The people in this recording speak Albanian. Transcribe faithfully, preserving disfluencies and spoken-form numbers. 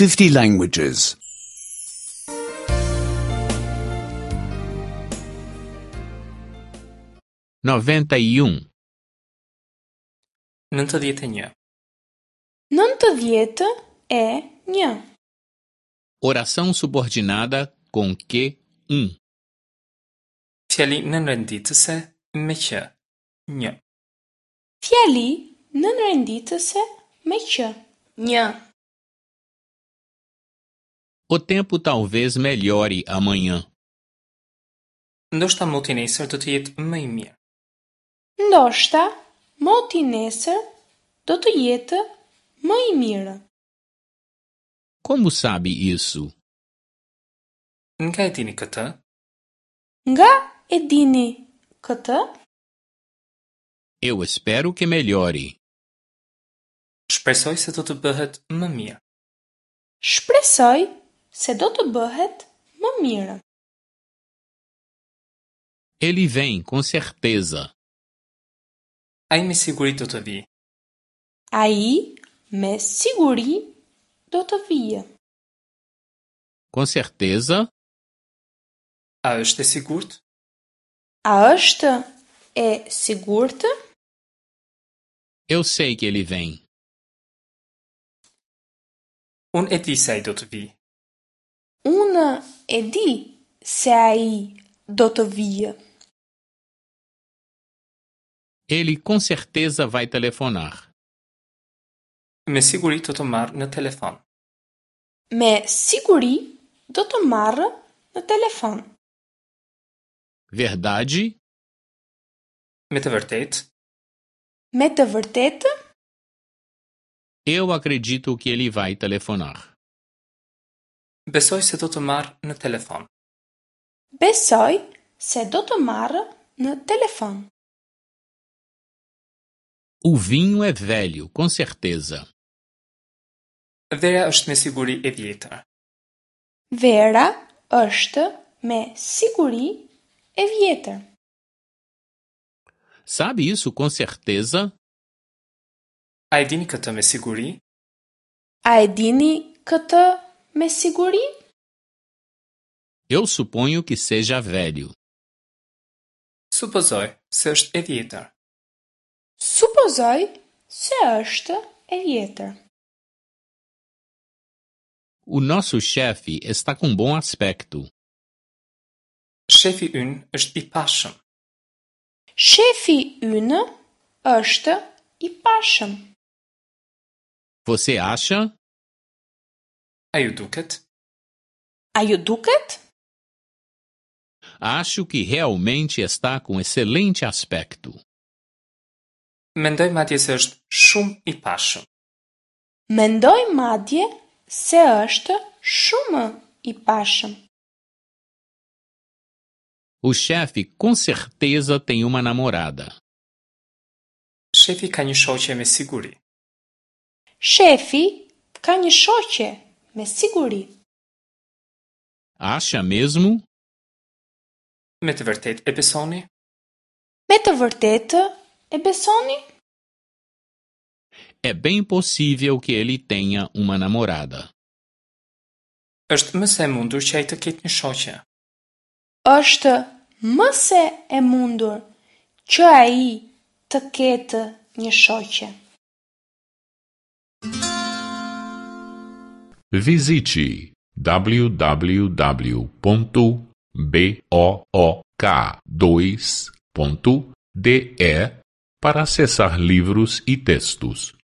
fifty languages. noventa e um, Nëntëdhjetë e një. Nëntëdhjetë e një. Oração subordinada com que um. Fjali nënrenditëse me që. Një. Fjali nënrenditëse me që. Një. O tempo talvez melhore amanhã. Ndoshta moti nesër do të jetë më i mirë. Ndoshta moti nesër do të jetë më i mirë. Como sabe isso? Nga e dini këtë? Nga e dini këtë? Eu espero que melhore. Shpresoj se do të bëhet më mirë. Shpresoj se do të bëhet më mirë. Ele vem com certeza. Ai me siguri do të vijë. Ai me siguri do të vijë. Com certeza? A është e sigurt? A është e sigurt? Eu sei que ele vem. Unë e di se ai do të vijë. Unë e di se ai do të vijë. Ele com certeza vai telefonar. Me siguri do të marrë në telefon. Me siguri do të marrë në telefon. Verdade? Me të vërtetë? Me të vërtetë? Eu acredito que ele vai telefonar. Besoj se do të marrë në telefon. Besoj se do të marrë në telefon. O vinho é velho, com certeza. Vera është me siguri e vjetër. Vera është me siguri e vjetër. Sabe isso com certeza? A e dini këtë me siguri? A e dini këtë me siguri? Eu suponho que seja velho. Supozoj se është e vjetër. Supozoj se është e vjetër. O nosso chefe está com bom aspecto. Shefi ynë është i pashëm. Shefi ynë është i pashëm. Você acha? A ju duket? A ju duket? Acho que realmente está com excelente aspecto. Mendoj madje se është shumë i pashëm. Mendoj madje se është shumë i pashëm. O chefe com certeza tem uma namorada. Shefi ka një shoqe me siguri. Shefi ka një shoqe me siguri. Acha mesmo? Me të vërtetë e besoni? Me të vërtetë e besoni? É bem possível que ele tenha uma namorada. Është më se e mundur që ai të ketë një shoqe. Është më se e mundur që ai të ketë një shoqe. Visite w w w ponto b o o k dois ponto d e para acessar livros e textos.